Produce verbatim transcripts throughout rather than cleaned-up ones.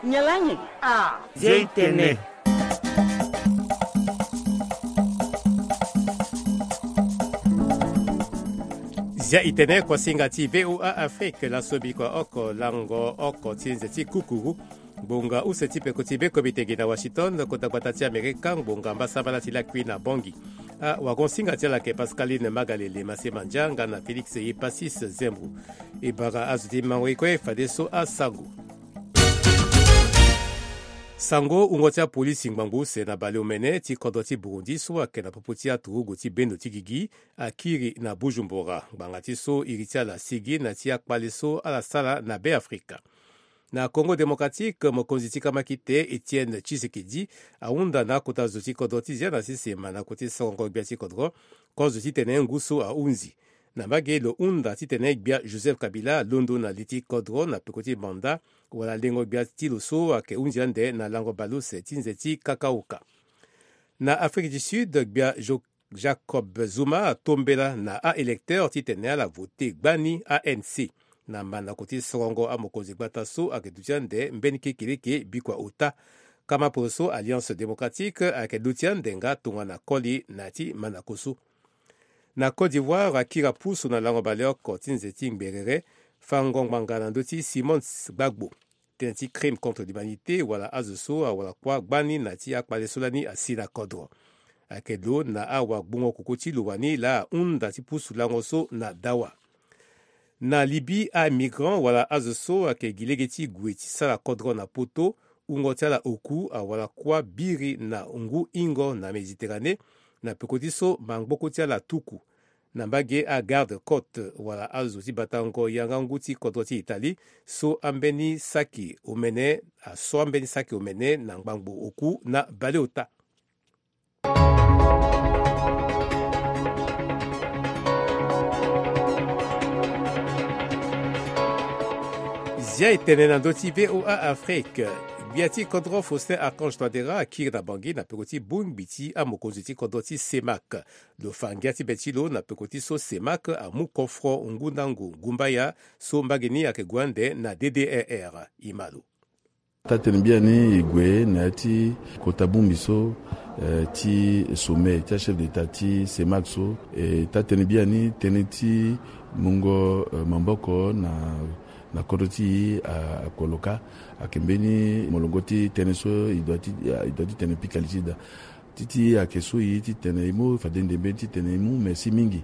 Nyalangi. Ah, Zia Itene. Zia Itene, kuasinga ti V O A Afrique, laso bikua oko lango oko ti nze ti kukuru. Ngbonga use ti peko ti beko bitegi na Washington, kota gbata ti Amerika, ngbonga mbasambala ti lakui na Bangui. Awagonsinga ti ala ayeke Pascaline Magalele, Masema Ndianga na Félix Epasis Zembro. E bara azo ti mango ye kue fadeso asango. Sango wungo ti apolisi ngbangbo use na baleomene ti kodro ti Burundi so ayeke na popo ti aturugu ti bendo ti gigi akiri na Bujumbura. Ngbanga ti so iri ti ala asigi na ti akpale so ala sara na Beafrika. Na Congo Démocratique, mokonzi ti kamakite Étienne Tshisekedi ahunda na akota zo ti kodro ti zia na sese manako ti sorongo gbia ti kodro, kozo titene ngu so ahunzi. Na mbage lo hunda titene gbia Joseph Kabila alondo na li ti kodro na peko ti Banda, wala lengo gbia ti lo so ayeke hunzi ande na lango baleuse ti nze ti Kakaoka. Na Afrique du Sud, gbia Jo-, Jacob Zuma atombela na a-électeur titene ala vote gbani A N C. Na manako ti sorongo amokonzi gbata so ayeke duti ande mbeni kekeleke bikua ota. Kama poro so Alliance Démocratique ayeke duti ande nga tongana koli na ya ti manako so. Na Côte d'Ivoire, akiri apusu na lango baleoko ti nze ti ngberere, fango ngbanga na ndö ti Simons Gbagbo. Tënë ti crime contre l'humanité wala azo so awara kuâ gbani na ti akpale so lani asi na kodro. Ayeke lo na awagbongo koko ti lo wani laa ahunda ti pusu lango so na dawa. Na Libye, amigrant wala azo so ayeke gi lege ti gue ti sara kodro na poto, wungo ti ala oku awara kuâ biri na ngu hingo na Méditerranée, na peko ti so mangboko ti ala atuku. Na mbage, agarde côte wala azo ti batango yanga ngu ti kodro ti Italie so ambeni saki omene, aso ambeni saki omene na ngbangbo oku na baleota. Zia e tene na ndö ti V O A Afrique. Gbia ti kodro Faustin Archange Touadéra akiri na Bangui na peko ti bongbi ti amokonzi ti kodro ti CEMAC. Lo fa ngia ti be ti lo na peko ti so CEMAC amu kofro ngu ndango ngumbaya so mbage ni ayeke gue ande na D D R R. E ma lo. Taa-tënë biani e gue na ya ti kota bongbi so, eh, ti sommet ti achef d'État ti CEMAC so. E taa-tënë biani tënë ti mungo, eh, maboko na, na kodro ti e, a, akoloka. Ayeke mbeni molongo ti tënë so e doit ti, e doit ti tene pika li ti da. Ti ti ayeke so e titene e mu fade ndembe titene e mu merci mingi.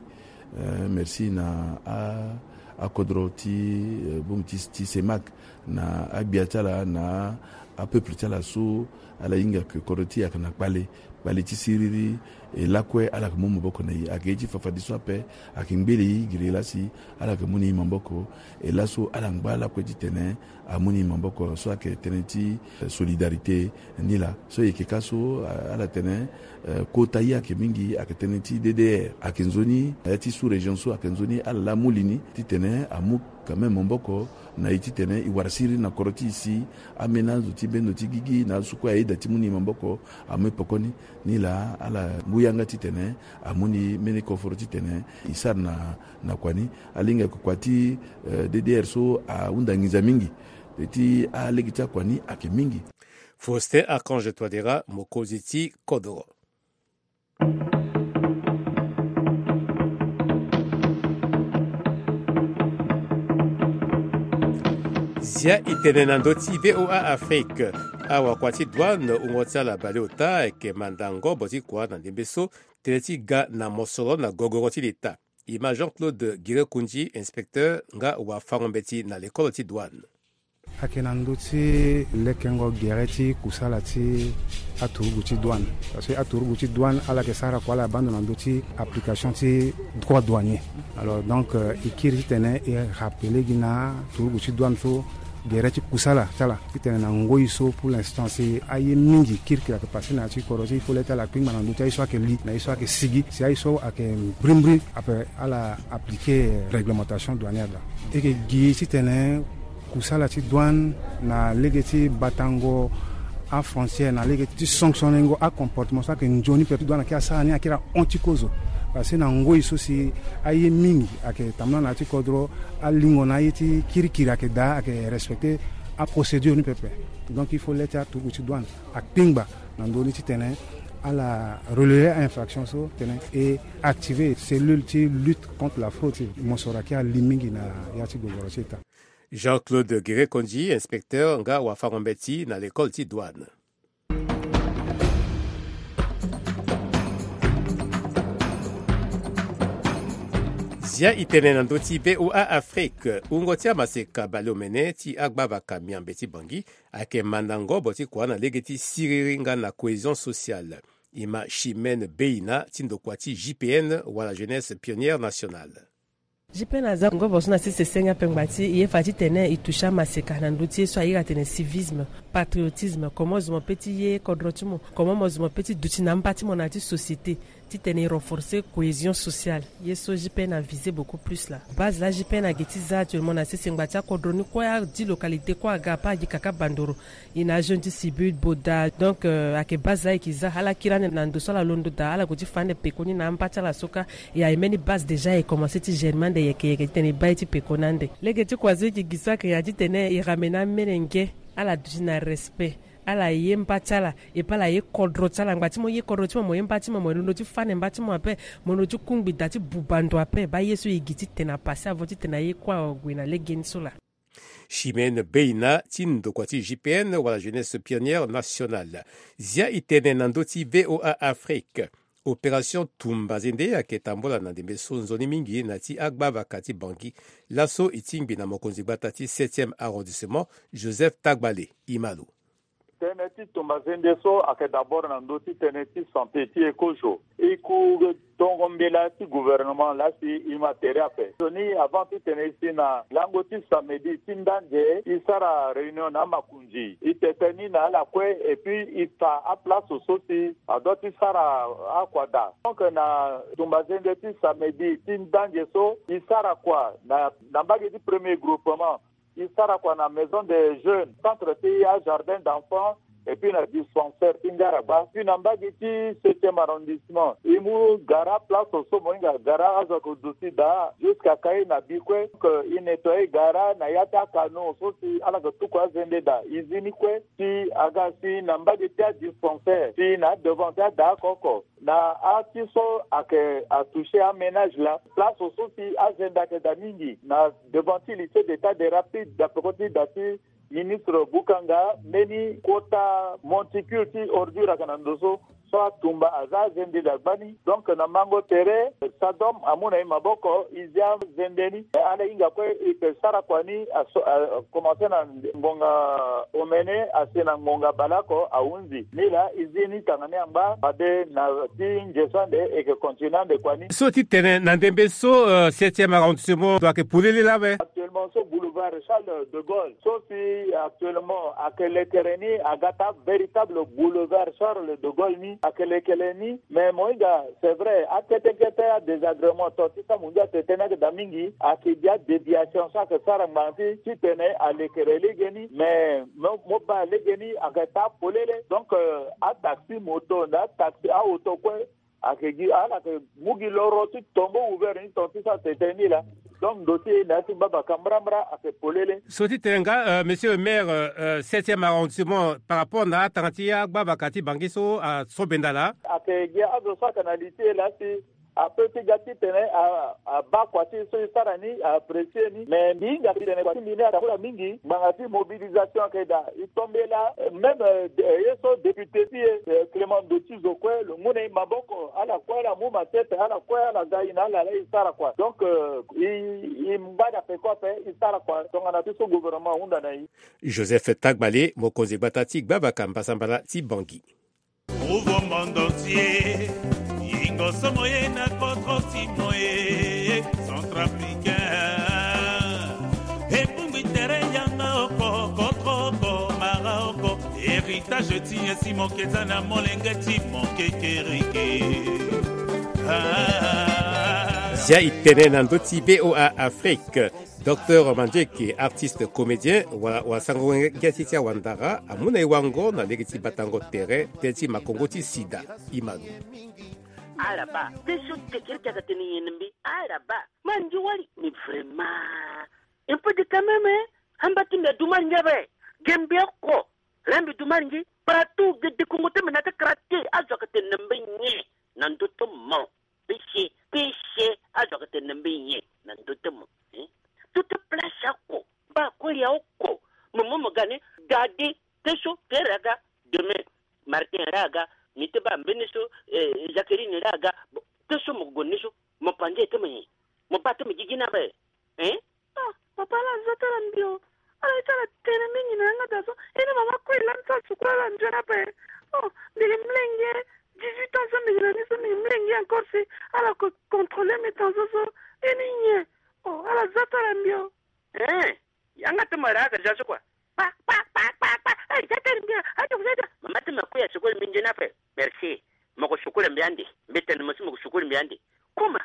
Eh, merci na a, akodro ti, eh, bongbi ti, ti CEMAC, na agbia ti ala, na apeuple ti ala so ala hinga ke kodro ti e ayeke na kpale, kpale ti siriri. E lakue ala yeke mu maboko na e, ayeke ye ti fa fadeso ape, ayeke ngbele e giri e laa si ala yeke mu na e maboko. E laso ala ngba lakue titene amu ni maboko so ayeke tënë ti, eh, solidarité ni laa. So e yeke ka so, eh, ala tene, eh, kota ye ayeke mingi, ayeke tënë ti D D R. Ayeke nzoni, eh, ti sous-région so ayeke nzoni, ala laa amu li ni titene amu quand même maboko na e titene e wara siriri na kodro ti e si ameni azo ti bendo ti gigi na azo so kue ayeda ti mu ni maboko amu e pekoni. Ni laa ala mu yanga titene amu ni mbeni koforo titene e sara na, na kua ni. Ala hinga ke kua ti, eh, D D R so ahunda nginza mingi. Ti alege ti akua ni ayeke mingi. Faustin Archange Touadéra, mokonzi ti kodro. Zia e tene na ndö ti V O A Afrique. Awakua ti douane wungo ti ala baleota ayeke manda ngobo ti kua na ndembe so tënë ti ga na mosoro na gogoro ti leta. E ma Jean-Claude Girekundi, inspecteur nga wafango-mbeti na lekolo ti douane. Ayeke na ndö ti lekengo gere ti kusala ti aturugu ti douane. Parce que aturugu ti douane ala yeke sara kua ala baa ndo na ndö ti application ti droit douanier. Alors donc, euh, e kiri titene e rappeler gi na turugu ti douane so gere ti kusala ti ala titene na ngoi so pour l'instant si aye mingi kirikiri ayeke passé na ya ti kodro ti e, il faut le ti ala kpingba na ndö ti aye so ayeke li na aye so ayeke sigi. Si aye so ayeke brimbri ape ala appliquer réglementation douanière laa. E yeke gi titene kusala ti douane na lege ti batango afrontière, na lege ti sanctionnengo acomportement so ayeke nzoni, peut ti douane akiri asara ni, akiri ahon ti kozo. Parce que na ngoi so si aye mingi ayeke tambula na ya ti kodro, alingo na aye ti kirikiri ayeke daa, ayeke respecter Aprocédure ni pepe. Donc il faut le ti aturugu ti douane akpingba na ndö ni titene ala relever a-infraction so tene e activer cellule ti lutte contre la fraude ti mosoro ayeke ali mingi na ya ti gogoro ti état. Jean-Claude Guérékondji, inspecteur nga wafango-mbeti na l'école ti douane. Zia e tene na ndö ti VOA Afrique. Wungo ti amaseka baleomene ti agbavaka miambe ti Bangui ayeke manda ngobo ti kua na lege ti siriri nga na cohésion sociale. E ma Chimène Beina ti ndokua ti J P N wala Jeunesse Pionnière Nationale. J P N aza ngobo so na sese senge ape ngbanga ti e ye fa titene e toucher amaseka na ndö ti ye so a iri atene civisme, patriotisme, comment zo mo pe ti ye kodro ti mo, comment mo zo mo pe ti duti na amba ti mo na ya ti société, titene e renforcer cohésion sociale. Ye so J P N a viser beaucoup plus laa. Base laa J P N ayeke ti za actuellement na sese ngbanga ti akodro ni kue, adi localité kue aga ape, agi kaka bandoro. E na ajeune ti Sibut, Boda. Donc euh, ayeke base laa e yeke za ala kiri ande na ndo so ala londo daa, ala gue ti fa ande pekoni na amba ti ala so kâ. E aye mbeni base déjà e commencer ti germer ande yeke yeke titene e baa ye ti pekoni ande. Lege ti kua so e yeke gi so ayeke ya titene e ramener amolenge, ala duti na respect, ala ye mba ti ala, et puis ala ye kodro ti ala. Ngbanga ti mo ye kodro ti mo, mo ye mba ti mo, mo londo ti fa ande mba ti mo ape, mo londo ti kungbi daa ti buba ndo ape. Baa ye so e gi titene a passer avant titene aye kue ague na legeni so laa. Chimène Beina ti ndokua ti J P N wala Jeunesse Pionnière Nationale. Zia e tene na ndö ti VOA Afrique. Opération tumba zende ayeke tambula na ndembe so nzoni mingi na ya ti agbavaka ti Bangui. Laso e tingbi na mokonzi gbata ti septième arrondissement, Joseph Tagbale. E ma lo. Tënë ti tumba zende so ayeke d'abord na ndö ti tënë ti santé ti e kozo. E ku tongo mbela ti gouvernement laa si e ma tere ape. Sioni avant titene e si na lango ti samedi ti ndanze e sara réunion na amakonzi. E tete ni na ala kue et puis e fa aplace so si adua ti sara akua daa. Donc na tumba zende ti samedi ti ndanze so e sara kua na, na mbage ti premier groupement. E sara kua na maison des jeunes, centre ti ajardin d'enfants, et puis na dispensaire ti Ngaragba. Puis na mbage ti septième arrondissement, e mu gara place so mo hinga gara azo ayeke duti daa jusqu'à Kaye na Bikue. Donc e nettoyer gara na ya ti acanaux so si ala yeke tuku azende daa. E zi ni kue si aga si na mbage ti adispensaire si na adevant ti ada oko oko. Na ya ti so ayeke atoucher aménage laa, place so si azende ayeke daa mingi na devant ti lycée d'état des rapides, na peko ti da ti ministre Bukanga, mbeni kota monticule ti ordure ayeke na ndo so, so atumba aza azende daa gbani. Donc na mango tere, Sadom amu na e maboko, e zi azende ni. Ala hinga kue e yeke sara kua ni, a so, a commencer na ngonga omene asi na ngonga baleoko ahunzi. Nilaa e zi ni tanga ni angba fade na ti nze so ande e yeke continuer ande kua ni. So ti tene na ndembe so, euh, septième arrondissement ndo ayeke polele laa awe. Actuellement so boulevard Charles de Gaulle so si actuellement ayeke lekere ni aga taa véritable boulevard Charles de Gaulle ni ayeke lekere ni. Mais mo hinga, c'est vrai, akete kete adésagrément to ti sa mo ngia tete ni ayeke daa mingi, ayeke gi adéviation so ayeke sara ngbanga ti titene alekere legeni. Mais mo, mo baa legeni ayeke taa polele. Donc euh, ataxi moto na ataxi aoto kue ayeke gi ala yeke mu gi loro ti tombo ouvert ni ton ti sa tete ni laa. Donc ndo ti e na ya ti gbavaka mbrambra ayeke polele. So ti tene nga, euh, monsieur le maire, euh, septième arrondissement, par rapport na atanga ti agbavaka ti Bangui so asobenda laa. Ayeke gi azo so ayeke na li ti e laa si ape ti ga titene a, abaa kua ti e so e sara ni, a apprécier ni. Mais mbi hinga titene kua ti mbi ni atambula mingi ngbanga ti mobilisation ayeke daa. E tombela, euh, même, euh, de, euh, ye so député ti e, euh, Clément Ndo ti zo kue lo mu na e maboko, ala kue ala mu matière, ala kue ala ga e na ala laa e sara kua. Donc euh, e, e ngba na peko ape e sara kua tongana ti so gouvernement ahunda na e. Joseph Tagbale, mokonzi gbata ti gbavaka mbasambala ti Bangui. Nouveau monde entier, yingo so mo ye na kodro ti mo e, centrafricain. Ebungbi tere yanga oko, kodro oko, mara oko, héritage ti ye si mo ke za na molenge ti mo kekereke. Ah. Zia e tene na ndö ti VOA Afrique. Docteur Mandieke, artiste comédien, wala wasango wenge ti ti awandara, amu na e wango na lege ti batango tere tënë ti makongo ti sida. E ma lo. Ala baa, tënë so kekereke ayeke tene nyen na mbi? Ala baa, ma ndio wali. Mais vraiment, un peu de quand même, hein? Amba ti mbi adu ma ngia be. Ge mbi oko. Laa mbi du malingi. Partout ge dekongo ti mbi na ti kara te. Azo ayeke tene na mbi nyen na ndö ti mo? Pese, pese, azo ayeke tene na mbi nyen na ndö ti mo? Hein? Tout ti place oko. Baa koli aoko. Mo mo mo ga ni. Gade. Te so, Pierre aga. Demain, Martin laa aga. Mbi ti baa mbeni so, eh, Jacqueline laa aga. Bon, te so mo gue ni so, mo panze ti mo nyen? Mo baa ti mo gigi ni ape. Hein? Ah, papa, ala za ti ala mbi o. Ala ye ti ala tene mingi na yanga daa so. E ni mama kue laa mbi sara sukulu ala nzoni ape. Oh, mbi gi mlenge. Dix-huit ans so mbi gi na ni so, mbi gi mlenge encore si ala ko contrôler mbi tant so so. E ni nyen? Oh, ala za ti ala mbi o. Hein? Yanga ti mo laa aga za so kua. Pa, pa, pa, pa, pa. Hey, za ti ala mbi o. Ato, za ti ala. Mama ti mo kue ya sukulu mbi nzoni ape. Merci. Mo ko sukulu mbi ande. Mbi tene mo so mo ko sukulu mbi ande. Kuma,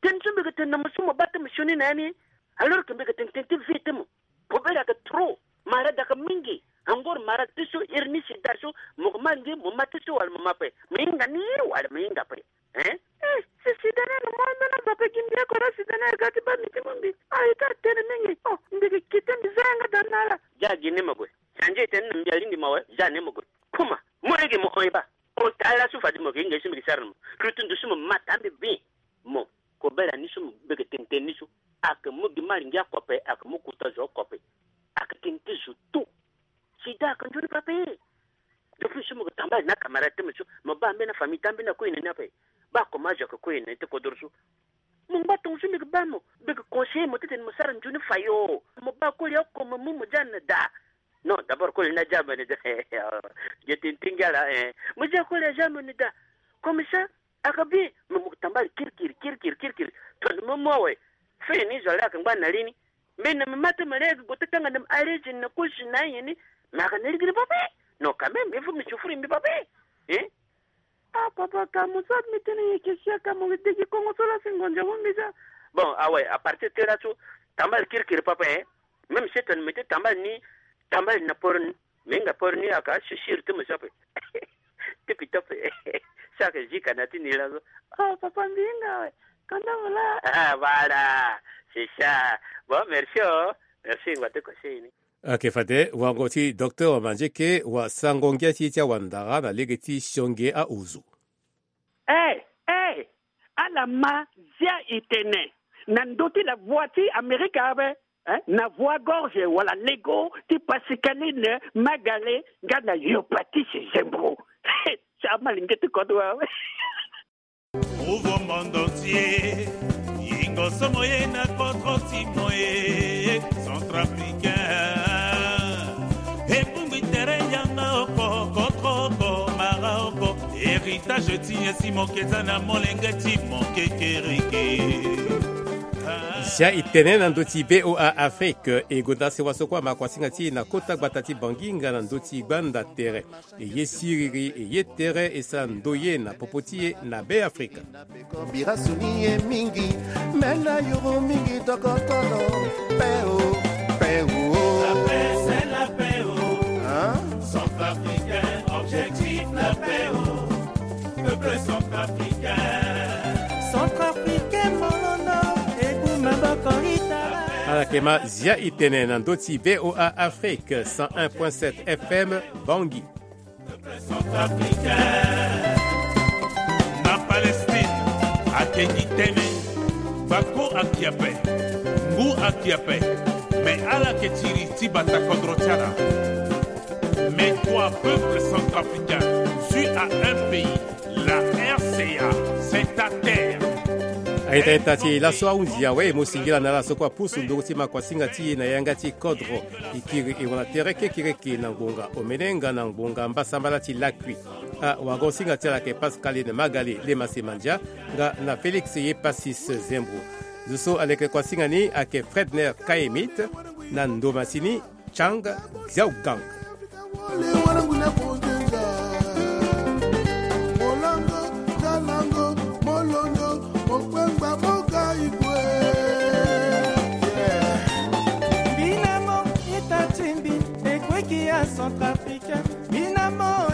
tene so mbi yeke tene na mo so mo baa ti mo sioni na ya ni. Alors que mbi yeke tene tene ti vie ti mo. Kobela ayeke trop. Malade ayeke mingi. Encore malade ti so, hernie, sida so, mo yeke ma nge, mo ma ti so wala mo ma ape? Mo hinga ni wala mo hinga ape? Hein? Eh, si sida ni ayeke mo ambeni azo ape gi mbi oko na sida ni aga ti baa mbi ti mu mbi. Ah, e ti atene mingi. Oh, mbi yeke kite mbi za yanga daa na ala. Za gi ni mo gue. Change tene na mbi alingbi mo awe, za ni mo gue. Kuma, mo lege mo hon e baa. Hon taa laso fade mo yeke hinga ye so mbi yeke sara na mo. Lutu ndo so mo ma taa mbi bien. Mo, kobela ni so mo beke tene tene ni so. Ayeke mu gi malingi oko ape, ayeke mu kota zo oko ape. Ayeke tene ti zo tout. Sida ayeke nzoni pe ape. Depuis so mo yeke tambala na camarade ti mo so, mo baa ambeni afamille ti ambeni akue na ni ape. Baa comment azo ayeke kue na ni ti kodro so. Mo ngba tongo so mbi yeke baa mo, mbi yeke conseiller mo titene mo sara nzoni fayo. Mo baa koli oko mo mu mo za na daa. Non, d'abord koli ni aza mo na daa. Ge tene ti ngia laa, eh. Mo za koli aza mo na daa. Comme ça, ayeke bien. Mo, mo tambala kirikiri, kirikiri, kirikiri. Tongana mo mu awe. Fini zo laa ayeke ngba na li ni. Mbi na mbi ma ti mo laa ayeke gue ti tanga na mbi arrêté na kosi na ayen ni. Mais ayeke na lege ni pape. Non, quand même, il faut mbi souffrir mbi pape. Hein? Ah, papa, ka mo sara mbi tënë nyen? Ke sia ka mo degi kongo so laa si ngonzo mo mbi za. Bon, awe, à partir ti laso, tambala kirikiri papa, hein. Même si tene mbi ti tambala ni, tambala na poro ni, mbi hinga poro ni ayeke asisiri ti mo so ape. Ti pita ape. So ayeke zi ka na ti ni laso. Oh, papa, mbi hinga awe. Kanda mo laa. Ah, voilà. C'est ça. Bon, merci, oh. Merci, ngba ti conseil ni. Ayeke fade wango ti docteur Manzeke wasango ngia ti e ti awandara na lege ti sionge aozo. Eh, eh, ala ma zia e tene na ndö ti la voix ti Amerika ape, eh, na voix gorge wala lego ti Pascaline Magale nga na Yopatis Zembro. Ti amalenge ti kodro awe. Nouveau monde entier. Yingo somo ye na kodro ti mo e, centrafricain. Ebongbi tere yanga oko, kodro oko, mara oko. Héritage ti ye si mo ke za na molenge ti mo kekereke. Zia e tene na ndö ti V O A Afrique, e gonda sewa so kue ama kuasinga ti e na kota gbata ti Bangui nga na ndö ti gbanda tere. E ye siriri, e ye tere, e sara ndoye na popo ti e na Beafrika. Bira soni ye mingi, me na yuru mingi tokotolo. Paix, oh, paix, oh. La paix, c'est la paix, oh. Hein? Centrafricain, objectif la paix, oh. Peuple centrafricain. Centrafricain, molondo, ebu maboko itala. Ala yeke ma zia e tene na ndö ti V O A Afrique, cent un point sept F M, Bangui. Centrafricain. Na Palestine, ake gi tënë, bako ake ape, ngu ake ape, me ala yeke tiri ti bata kodro ti ala. Mais toi, peuple centrafricain, tu as un pays, la R C A, c'est ta terre. Aita ita ti e laso ahunzi awe, e mu singila na ala so kue apusu nduru ti makuasinga ti e na yanga ti kodro. E kiri e wala tere kekereke na ngbonga omene nga na ngbonga mbasambala ti lakui. Awagosinga ti ala ayeke Pascaline Magali Lemase Mandia nga na Félix Yepasis Zembro. Zo so aleke kuasinga ni ayeke Fredner Kayemit na ndo masini Chang Xiaogang. Mbina mo ita ti mbi, ekweki ya Centrafricain. Mbina mo